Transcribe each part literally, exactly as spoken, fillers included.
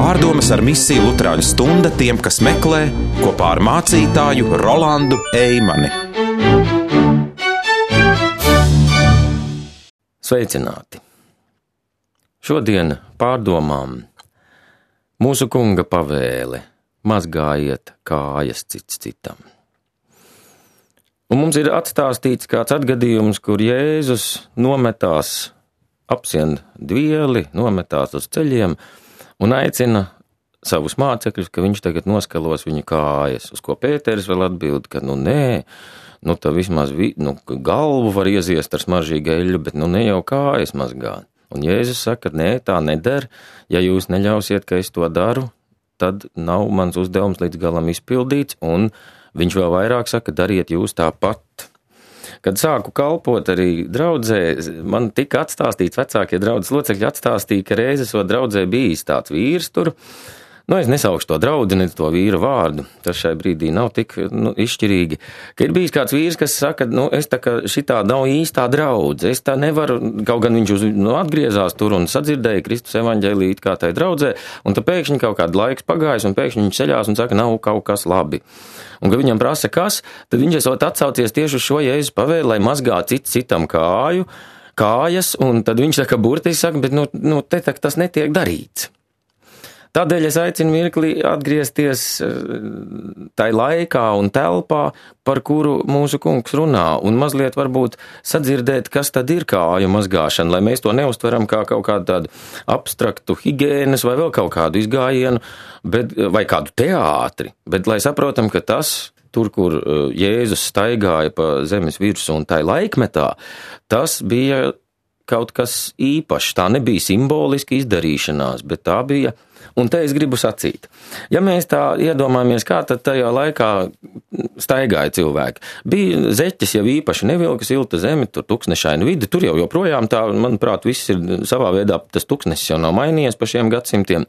Pārdomas ar misiju Luterāņu stunda tiem, kas meklē, kopā ar mācītāju Rolandu Eimani. Sveicināti! Šodien pārdomām mūsu kunga pavēle mazgājiet kājas cits citam. Un mums ir atstāstīts kāds atgadījums, kur Jēzus nometās, apsien dvieli, nometās uz ceļiem un aicina savus mācekļus, ka viņš tagad noskalos viņu kājas, uz ko Pēteris vēl atbild, ka nu nē, nu tā vismaz vi, nu, galvu var ieziest ar smaržīgu eļļu, bet nu ne jau kājas mazgā. Un Jēzus saka, nē, tā neder, ja jūs neļausiet, ka es to daru, tad nav mans uzdevums līdz galam izpildīts, un viņš vēl vairāk saka, dariet jūs tāpat. Kad sāku kalpot arī draudzē, man tika atstāstīts, vecākie draudzes locekļi atstāstīja, ka reiz esot draudzē bijis tāds vīrs tur. Nu, es nesaukšu to draudzi, ne to vīra vārdu, tas šai brīdī nav tik nu, izšķirīgi. Ka ir bijis kāds vīrs, kas saka, nu, es tā kā šitā nav īstā draudze, es tā nevaru, kaut gan viņš uz, nu, atgriezās tur un sadzirdēja Kristus evaņģēliju it kā tai draudzē, un tad pēkšņi kaut kādu laiks pagājis, un pēkšņi viņš ceļās un saka, nav kaut kas labi. Un, kad viņam prasa, kas, tad viņš esot atsaucies tieši uz šo Jēzus pavēli, lai mazgā cits citam kāju, kājas, un tad viņš saka, burtiski saka, bet nu, nu te tak tas netiek darīts. Tādēļ es aicinu mirkli atgriezties tai laikā un telpā, par kuru mūsu kungs runā, un mazliet varbūt sadzirdēt, kas tad ir kāju mazgāšana, lai mēs to neuztveram kā kaut kādu tādu abstraktu higienas vai vēl kaut kādu izgājienu, bet, vai kādu teātri, bet lai saprotam, ka tas, tur, kur Jēzus staigāja pa zemes virsu un tai laikmetā, tas bija kaut kas īpašs, tā nebija simboliski izdarīšanās, bet tā bija. Un te es gribu sacīt, ja mēs tā iedomājamies, kā tad tajā laikā staigāja cilvēki. Bija zeķes jau īpaši nevilka silta zemi, tur tuksnešaina vidi, tur jau joprojām tā, manuprāt, viss ir savā veidā, tas tuksnesis jau nav mainījies pa šiem gadsimtiem.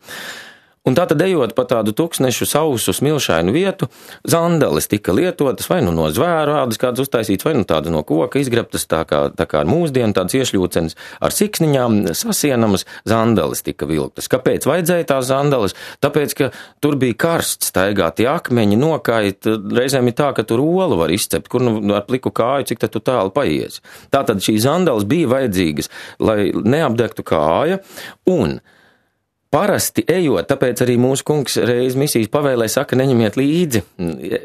Un tā tad ejot pa tādu tuksnešu sausu smilšainu vietu, zandeles tika lietotas vai nu no zvēru ādas kādas uztaisītas, vai nu tāda no koka izgrabtas, tā kā, tā kā ar mūsdienu tādas iešļūcenes ar siksniņām sasienamas zandeles tika vilktas. Kāpēc vajadzēja tās zandeles? Tāpēc, ka tur bija karsts, staigāti akmeņi, nokait, reizēm ir tā, ka tur olu var izcept, kur nu ar pliku kāju, cik tad tu tālu paies. Tātad šīs zandeles bija vajadzīgas, lai neapdegtu kāja, un parasti ejot, tāpēc arī mūsu kungs reiz misijas pavēlē saka, neņemiet līdzi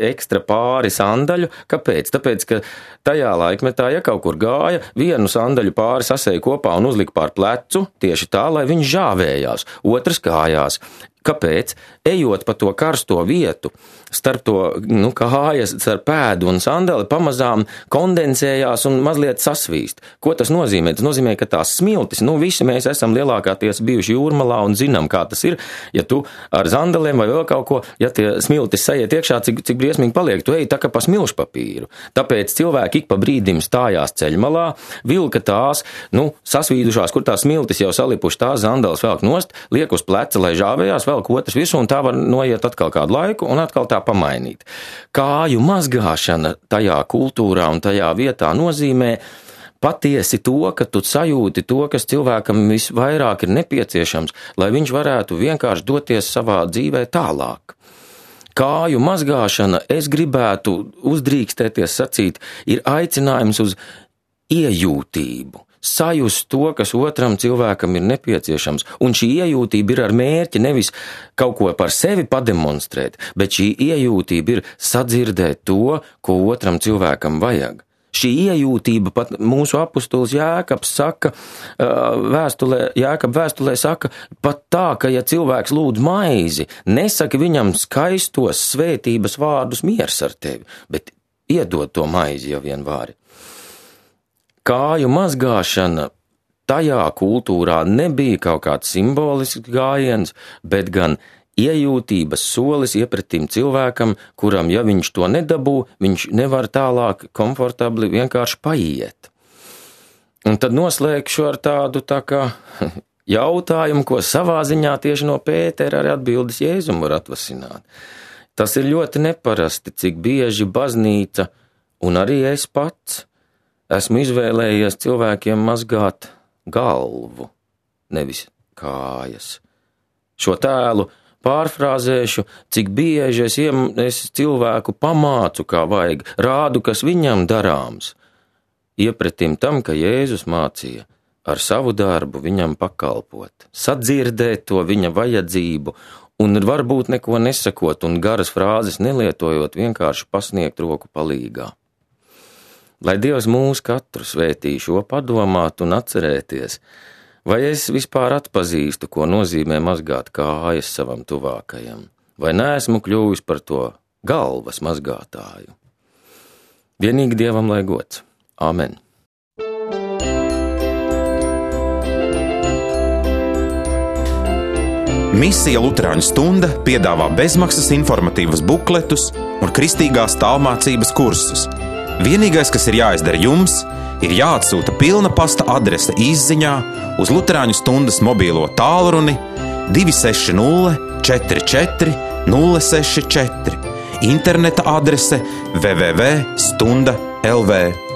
ekstra pāri sandaļu. Kāpēc? Tāpēc, ka tajā laikmetā, ja kaut kur gāja, vienu sandaļu pāri sasēja kopā un uzlika pār plecu, tieši tā, lai viņš žāvējās, otrs kājās. Kāpēc? Ejot pa to karsto vietu, starp to, nu, kājas, starp pēdu un sandali, pamazām kondensējās un mazliet sasvīst. Ko tas nozīmē? Tas nozīmē, ka tās smiltis, nu, visi mēs esam lielākāties bijuši jūrmalā un zinām, kā tas ir. Ja tu ar sandaliem vai vēl kaut ko, ja tie smiltis sajiet iekšā, cik, cik briesmīgi paliek, tu ej tā kā pa smilšu papīru. Tāpēc cilvēki ik pa brīdim stājās ceļmalā, vilka tās, nu, sasvīdušās, kur tās smiltis jau salipuši, tās sandales velk nost, liek uz pleca, lai žāvējās, vēl otrs visu, un tā var noiet atkal kādu laiku un atkal tā pamainīt. Kāju mazgāšana tajā kultūrā un tajā vietā nozīmē patiesi to, ka tu sajūti to, kas cilvēkam visvairāk ir nepieciešams, lai viņš varētu vienkārši doties savā dzīvē tālāk. Kāju mazgāšana, es gribētu uzdrīkstēties sacīt, ir aicinājums uz iejūtību. Sajust to, kas otram cilvēkam ir nepieciešams, un šī iejūtība ir ar mērķi nevis kaut ko par sevi pademonstrēt, bet šī iejūtība ir sadzirdēt to, ko otram cilvēkam vajag. Šī iejūtība pat mūsu apustulis Jēkabs saka, vēstulē, Jēkab vēstulē saka, pat tā, ka ja cilvēks lūdz maizi, nesaka viņam skaistos svētības vārdus miers ar tevi, bet iedod to maizi jau vien vāri. Kāju mazgāšana tajā kultūrā nebija kaut kāds simbolisks gājiens, bet gan iejūtības solis iepretim cilvēkam, kuram, ja viņš to nedabū, viņš nevar tālāk komfortabli vienkārši paiet. Un tad noslēgšu ar tādu tā kā jautājumu, ko savā ziņā tieši no Pētera arī atbildes Jēzum var atvasināt. Tas ir ļoti neparasti, cik bieži baznīca un arī es pats esmu izvēlējies cilvēkiem mazgāt galvu, nevis kājas. Šo tēlu pārfrāzēšu, cik bieži es, iem, es cilvēku pamācu, kā vajag, rādu, kas viņam darāms. Iepretim tam, ka Jēzus mācīja ar savu darbu viņam pakalpot, sadzirdēt to viņa vajadzību un varbūt neko nesakot un garas frāzes nelietojot, vienkārši pasniegt roku palīgā. Lai Dievs mūs katru svētī šo padomāt un atcerēties, vai es vispār atpazīstu, ko nozīmē mazgāt kājas savam tuvākajam, vai neesmu kļuvis par to galvas mazgātāju. Vienīgi Dievam lai gods. Āmen. Misija Luterāņu stunda piedāvā bezmaksas informatīvus bukletus un kristīgās tālmācības kursus. Vienīgais, kas ir jāizdara jums, ir jāatsūta pilna pasta adrese izziņā uz Luterāņu stundas mobīlo tālruni divi seši nulle četri četri nulle seši četri, interneta adrese w w w punkt stunda punkt l v.